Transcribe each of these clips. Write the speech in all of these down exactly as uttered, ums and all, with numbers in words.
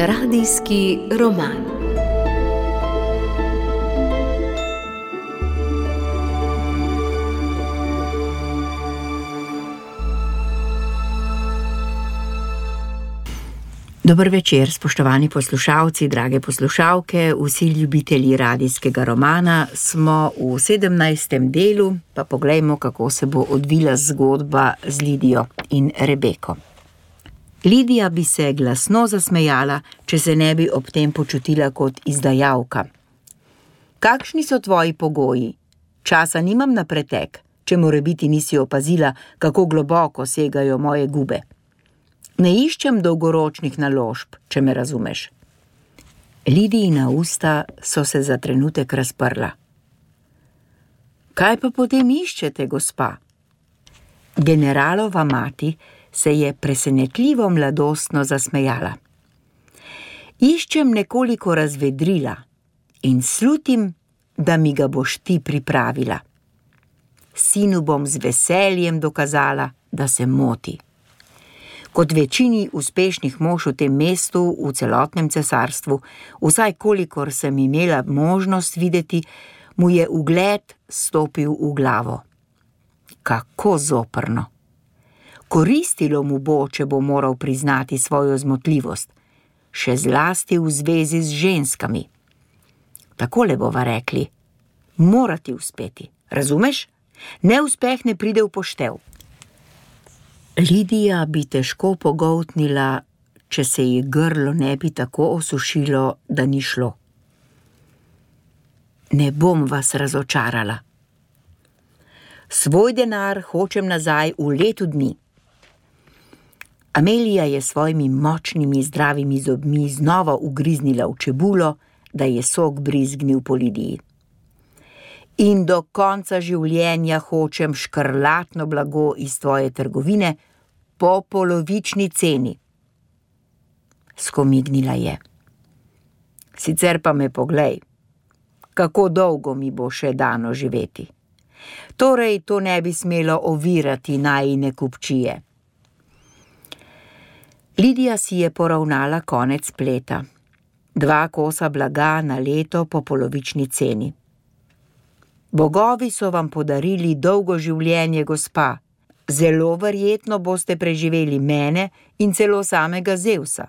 Radijski roman. Dober večer, spoštovani poslušalci, drage poslušalke, vsi ljubitelji radijskega romana. Smo v sedemnajstem delu, pa poglejmo, kako se bo odvila zgodba z Lidijo in Rebeko. Lidija bi se glasno zasmejala, če se ne bi ob tem počutila kot izdajalka. Kakšni so tvoji pogoji? Časa nimam na pretek, če morebiti nisi opazila, kako globoko segajo moje gube. Ne iščem dolgoročnih naložb, če me razumeš. Lidijina usta so se za trenutek razprla. Kaj pa potem iščete, gospa? Generalova mati se je presenetljivo mladostno zasmejala. Iščem nekoliko razvedrila in slutim, da mi ga boš ti pripravila. Sinu bom z veseljem dokazala, da se moti. Kot večini uspešnih mož v tem mestu, v celotnem cesarstvu, vsaj kolikor sem imela možnost videti, mu je ugled stopil v glavo. Kako zoprno! Koristilo mu bo, če bo moral priznati svojo zmotljivost, še zlasti v zvezi z ženskami. Takole bova rekli, mora ti uspeti, razumeš? Neuspeh ne pride v poštev. Lidija bi težko pogoltnila, če se ji grlo ne bi tako osušilo, da ni šlo. Ne bom vas razočarala. Svoj denar hočem nazaj v letu dni. Amelija je svojimi močnimi zdravimi zobmi znova ugriznila v čebulo, da je sok brizgnil po Lidiji. In do konca življenja hočem škrlatno blago iz tvoje trgovine po polovični ceni. Skomignila je. Sicer pa me poglej, kako dolgo mi bo še dano živeti. Torej, to ne bi smelo ovirati najine kupčije. Lidija si je poravnala konec pleta. Dva kosa blaga na leto po polovični ceni. Bogovi so vam podarili dolgo življenje, gospa. Zelo verjetno boste preživeli mene in celo samega Zevsa.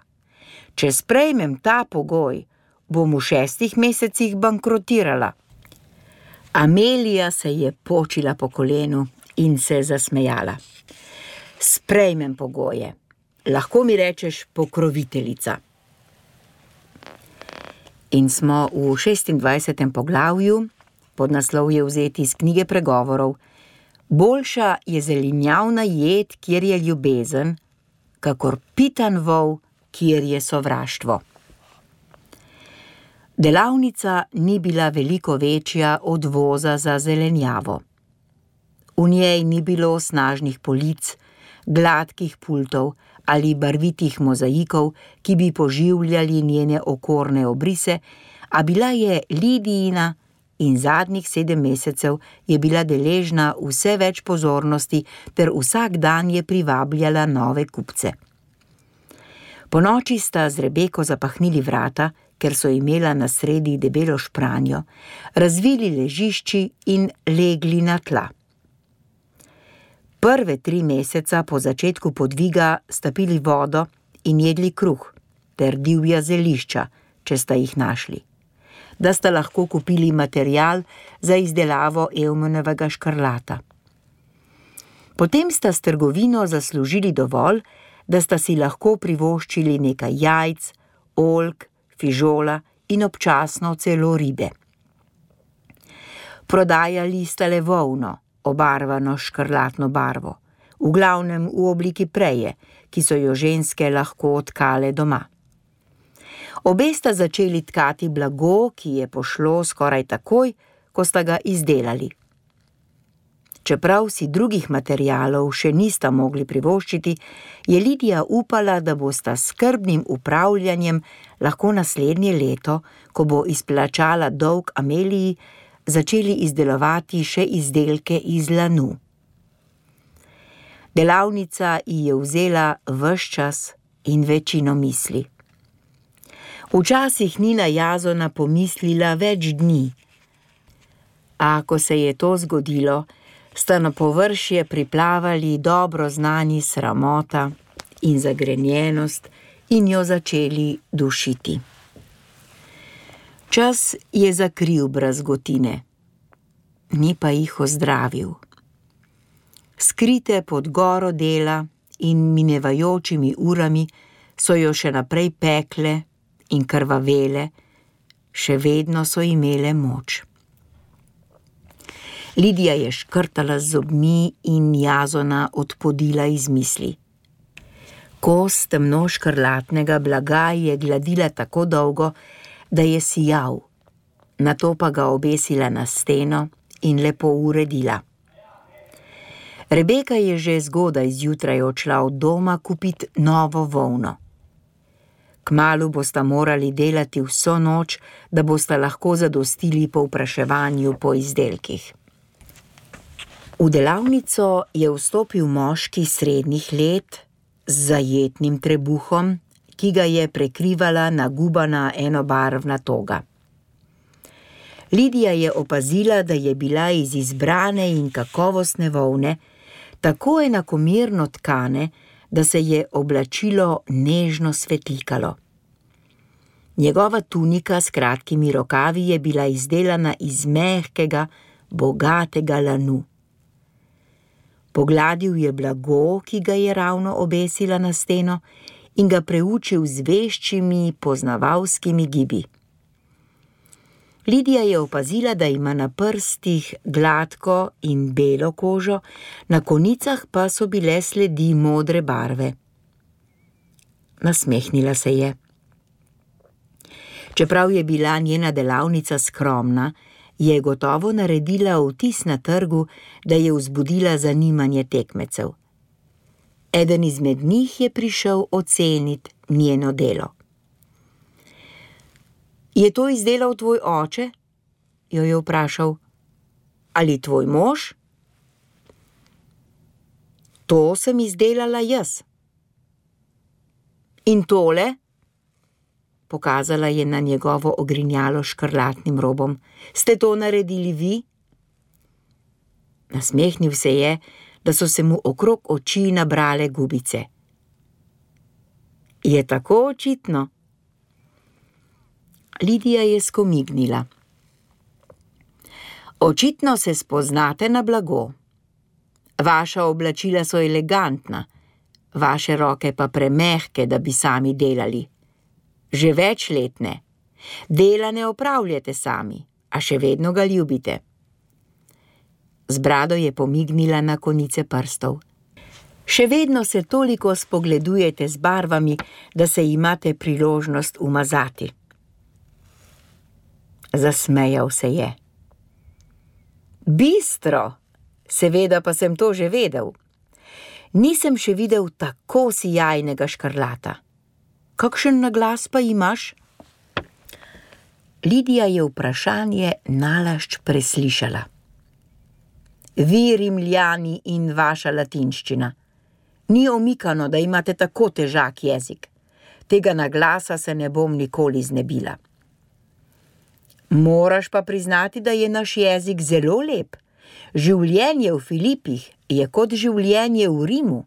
Če sprejmem ta pogoj, bom v šestih mesecih bankrotirala. Amelija se je počila po kolenu in se zasmejala. Sprejmem pogoje. Lahko mi rečeš pokroviteljica. In smo v šestindvajsetem poglavju, podnaslov je vzeti iz knjige pregovorov. Boljša je zelenjavna jed, kjer je ljubezen, kakor pitan vol, kjer je sovraštvo. Delavnica ni bila veliko večja od voza za zelenjavo. V njej ni bilo snažnih polic, gladkih pultov ali barvitih mozaikov, ki bi poživljali njene okorne obrise, a bila je Lidijina in zadnjih sedem mesecev je bila deležna vse več pozornosti ter vsak dan je privabljala nove kupce. Ponoči sta z Rebeko zapahnili vrata, ker so imela na sredi debelo špranjo, razvili ležišči in legli na tla. Prve tri meseca po začetku podviga sta pili vodo in jedli kruh ter divja zelišča, če sta jih našli, da sta lahko kupili material za izdelavo Evmenovega škrlata. Potem sta s trgovino zaslužili dovolj, da sta si lahko privoščili nekaj jajc, oljk, fižola in občasno celo ribe. Prodajali sta le volno, obarvano škrlatno barvo, v glavnem v obliki preje, ki so jo ženske lahko tkale doma. Obe sta začeli tkati blago, ki je pošlo skoraj takoj, ko sta ga izdelali. Čeprav si drugih materialov še nista mogli privoščiti, je Lidija upala, da bosta s skrbnim upravljanjem lahko naslednje leto, ko bo izplačala dolg Ameliji, začeli izdelovati še izdelke iz lanu. Delavnica ji je vzela ves čas in večino misli. Včasih ni na Jazona pomislila več dni. A ko se je to zgodilo, sta na površje priplavali dobro znani sramota in zagrenjenost in jo začeli dušiti. Čas je zakril brazgotine, ni pa jih ozdravil. Skrite pod goro dela in minevajočimi urami so jo še naprej pekle in krvavele, še vedno so imele moč. Lidija je škrtala z zobmi in Jazona odpodila iz misli. Kos temno škrlatnega blaga je gladila tako dolgo, da je sijal, nato pa ga obesila na steno in lepo uredila. Rebeka je že zgodaj zjutraj odšla od doma kupit novo volno. Kmalu bosta morali delati vso noč, da bosta lahko zadostili povpraševanju po izdelkih. V delavnico je vstopil moški srednjih let z zajetnim trebuhom, ki ga je prekrivala nagubana enobarvna toga. Lidija je opazila, da je bila iz izbrane in kakovostne volne tako enakomerno tkane, da se je oblačilo nežno svetlikalo. Njegova tunika s kratkimi rokavi je bila izdelana iz mehkega, bogatega lanu. Pogladil je blago, ki ga je ravno obesila na steno, in ga preučil z veščimi, poznavalskimi gibi. Lidija je opazila, da ima na prstih gladko in belo kožo, na konicah pa so bile sledi modre barve. Nasmehnila se je. Čeprav je bila njena delavnica skromna, je gotovo naredila vtis na trgu, da je vzbudila zanimanje tekmecev. Eden izmed njih je prišel ocenit njeno delo. Je to izdelal tvoj oče? Jo je vprašal. Ali tvoj mož? To sem izdelala jaz. In tole? Pokazala je na njegovo ogrinjalo s škrlatnim robom. Ste to naredili vi? Nasmehnil se je, da so se mu okrog oči nabrale gubice. Je tako očitno? Lidija je skomignila. Očitno se spoznate na blago. Vaša oblačila so elegantna, vaše roke pa premehke, da bi sami delali. Že več let ne. Dela ne opravljate sami, a še vedno ga ljubite. Z brado je pomignila na konice prstov. Še vedno se toliko spogledujete z barvami, da se imate priložnost umazati. Zasmejal se je. Bistro, seveda pa sem to že vedel. Nisem še videl tako sijajnega škrlata. Kakšen naglas pa imaš? Lidija je vprašanje nalašč preslišala. Vi, Rimljani, in vaša latinščina. Ni omikano, da imate tako težak jezik. Tega naglasa se ne bom nikoli znebila. Moraš pa priznati, da je naš jezik zelo lep. Življenje v Filipih je kot življenje v Rimu.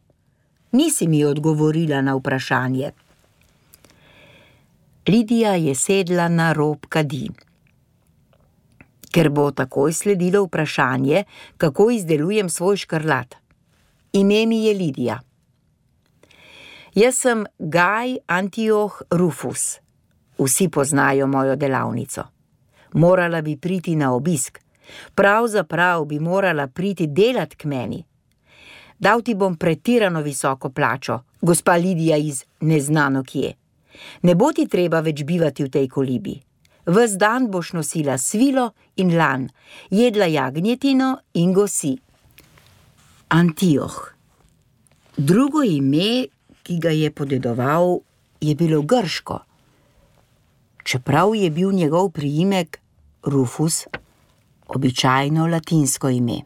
Nisi mi odgovorila na vprašanje. Lidija je sedla na rob kadi. Ker bo takoj sledilo vprašanje, kako izdelujem svoj škrlat. Ime mi je Lidija. Jaz sem Gaj Antioch Rufus. Vsi poznajo mojo delavnico. Morala bi priti na obisk. Pravzaprav bi morala priti delat k meni. Dal ti bom pretirano visoko plačo, gospa Lidija iz neznano kje. Ne bo ti treba več bivati v tej kolibi. Ves dan boš nosila svilo in lan, jedla jagnjetino in gosi. Antioch. Drugo ime, ki ga je podedoval, je bilo grško. Čeprav je bil njegov priimek Rufus, običajno latinsko ime.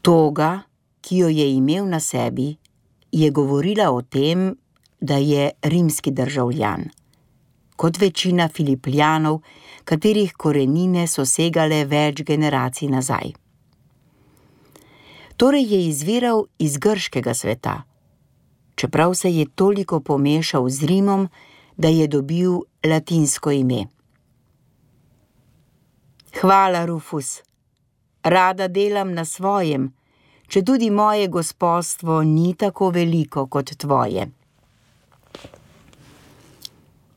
Toga, ki jo je imel na sebi, je govorila o tem, da je rimski državljan, kot večina Filipljanov, katerih korenine so segale več generacij nazaj. Torej je izviral iz grškega sveta, čeprav se je toliko pomešal z Rimom, da je dobil latinsko ime. Hvala, Rufus. Rada delam na svojem, četudi moje gospodstvo ni tako veliko kot tvoje.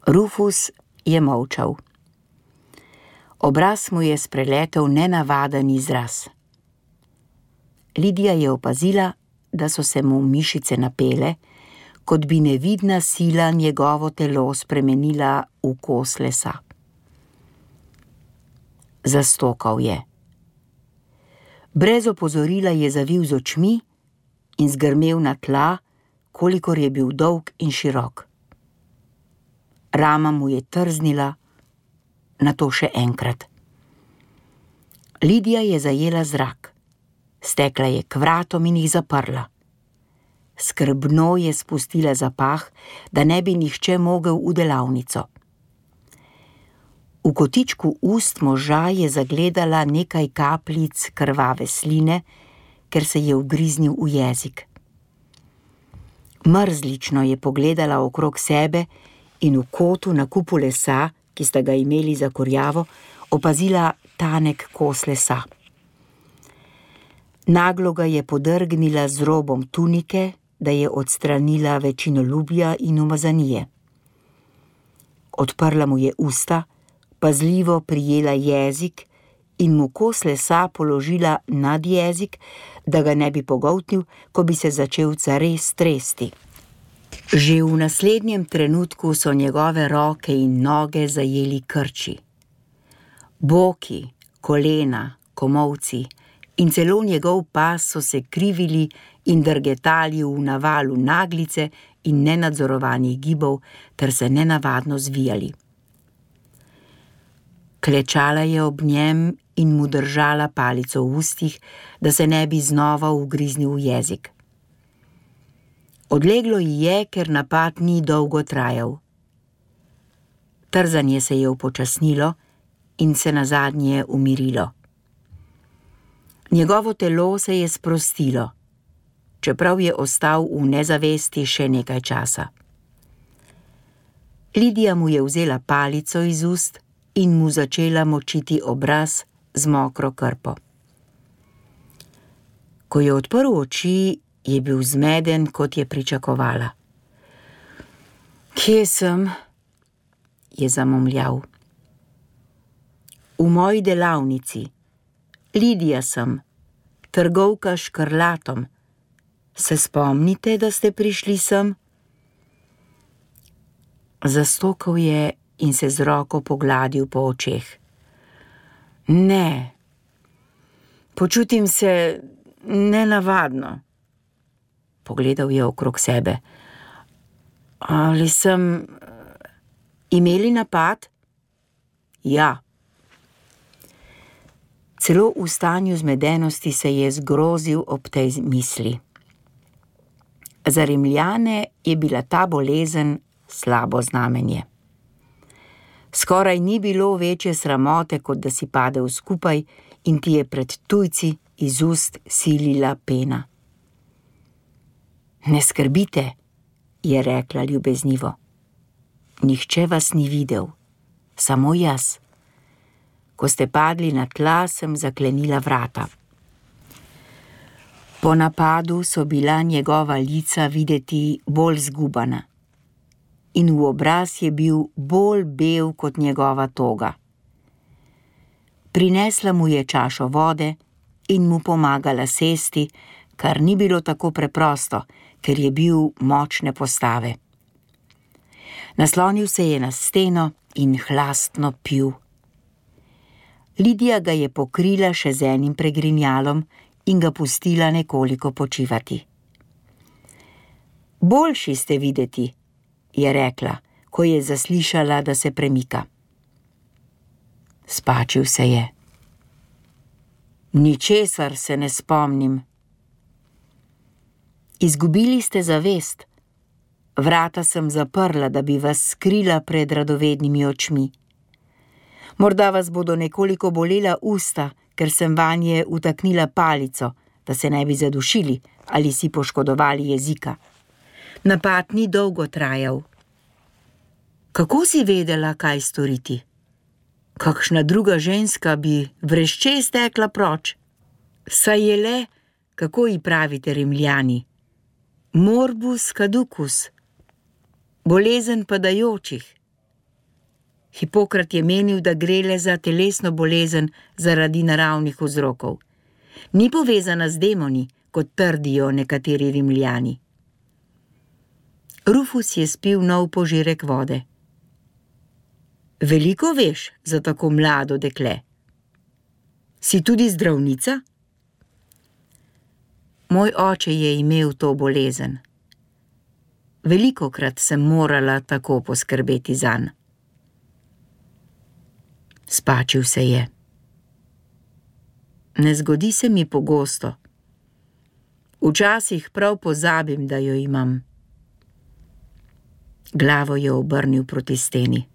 Rufus je molčal. Obraz mu je spreletel nenavaden izraz. Lidija je opazila, da so se mu mišice napele, kot bi nevidna sila njegovo telo spremenila v kos lesa. Zastokal je. Brez opozorila je zavil z očmi in zgrmel na tla, kolikor je bil dolg in širok. Rama mu je trznila, nato še enkrat. Lidija je zajela zrak, stekla je k vratom in jih zaprla. Skrbno je spustila zapah, da ne bi nihče mogel v delavnico. V kotičku ust moža je zagledala nekaj kapljic krvave sline, ker se je ugriznil v jezik. Mrzlično je pogledala okrog sebe in v kotu na kupu lesa, ki sta ga imeli za kurjavo, opazila tanek kos lesa. Naglo ga je podrgnila z robom tunike, da je odstranila večinolubja in umazanije. Odprla mu je usta, pazljivo prijela jezik in mu kos lesa položila nad jezik, da ga ne bi pogoltnil, ko bi se začel zares tresti. Že v naslednjem trenutku so njegove roke in noge zajeli krči. Boki, kolena, komolci in celo njegov pas so se krivili in drgetali v navalu naglice in nenadzorovanih gibov ter se nenavadno zvijali. Klečala je ob njem in mu držala palico v ustih, da se ne bi znova ugriznil v jezik. Odleglo ji je, ker napad ni dolgo trajal. Trzanje se je upočasnilo in se nazadnje umirilo. Njegovo telo se je sprostilo, čeprav je ostal v nezavesti še nekaj časa. Lidija mu je vzela palico iz ust in mu začela močiti obraz z mokro krpo. Ko je odprl oči, je bil zmeden, kot je pričakovala. Kje sem? Je zamomljal. V moji delavnici. Lidija sem, trgovka s škrlatom. Se spomnite, da ste prišli sem? Zastokal je in se z roko pogladil po očeh. Ne, počutim se nenavadno. Pogledal je okrog sebe. Ali sem imeli napad? Ja. Celo v stanju zmedenosti se je zgrozil ob tej misli. Za Rimljane je bila ta bolezen slabo znamenje. Skoraj ni bilo večje sramote, kot da si padel skupaj in ti je pred tujci iz ust silila pena. Ne skrbite, je rekla ljubeznivo. Nihče vas ni videl, samo jaz. Ko ste padli na tla, sem zaklenila vrata. Po napadu so bila njegova lica videti bolj zgubana in v obraz je bil bolj bel kot njegova toga. Prinesla mu je čašo vode in mu pomagala sesti, kar ni bilo tako preprosto, ker je bil močne postave. Naslonil se je na steno in hlastno pil. Lidija ga je pokrila še z enim pregrinjalom in ga pustila nekoliko počivati. Boljši ste videti, je rekla, ko je zaslišala, da se premika. Spačil se je. Ničesar se ne spomnim. Izgubili ste zavest. Vrata sem zaprla, da bi vas skrila pred radovednimi očmi. Morda vas bodo nekoliko bolela usta, ker sem vanje utaknila palico, da se ne bi zadušili ali si poškodovali jezika. Napad ni dolgo trajal. Kako si vedela, kaj storiti? Kakšna druga ženska bi vrešče stekla proč? Saj je le, kako ji pravite Rimljani, morbus caducus, bolezen padajočih. Hipokrat je menil, da gre le za telesno bolezen zaradi naravnih vzrokov. Ni povezana z demoni, kot trdijo nekateri Rimljani. Rufus je spil nov požirek vode. Veliko veš za tako mlado dekle. Si tudi zdravnica? Moj oče je imel to bolezen. Velikokrat sem morala tako poskrbeti zanj. Spačil se je. Ne zgodi se mi pogosto. Včasih prav pozabim, da jo imam. Glavo je obrnil proti steni.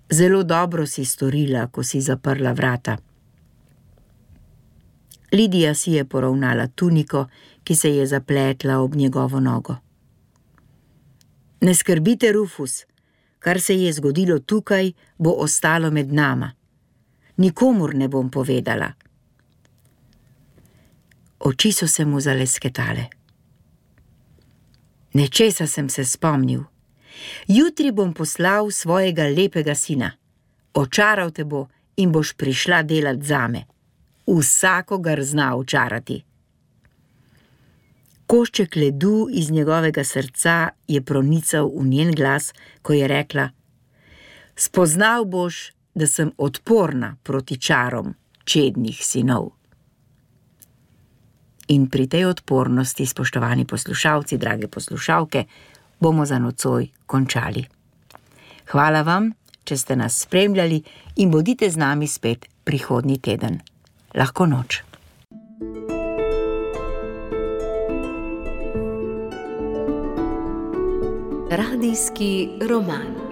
Zelo dobro si storila, ko si zaprla vrata. Lidija si je poravnala tuniko, ki se je zapletla ob njegovo nogo. Ne skrbite, Rufus, kar se je zgodilo tukaj, bo ostalo med nama. Nikomur ne bom povedala. Oči so se mu zalesketale. Nečesa sem se spomnil. Jutri bom poslal svojega lepega sina. Očaral te bo in boš prišla delat zame. Vsakogar zna očarati. Košček ledu iz njegovega srca je pronical v njen glas, ko je rekla: spoznal boš, da sem odporna proti čarom čednih sinov. In pri tej odpornosti, spoštovani poslušalci, drage poslušalke, bomo za nocoj končali. Hvala vam, če ste nas spremljali in bodite z nami spet prihodnji teden. Lahko noč. Radijski roman.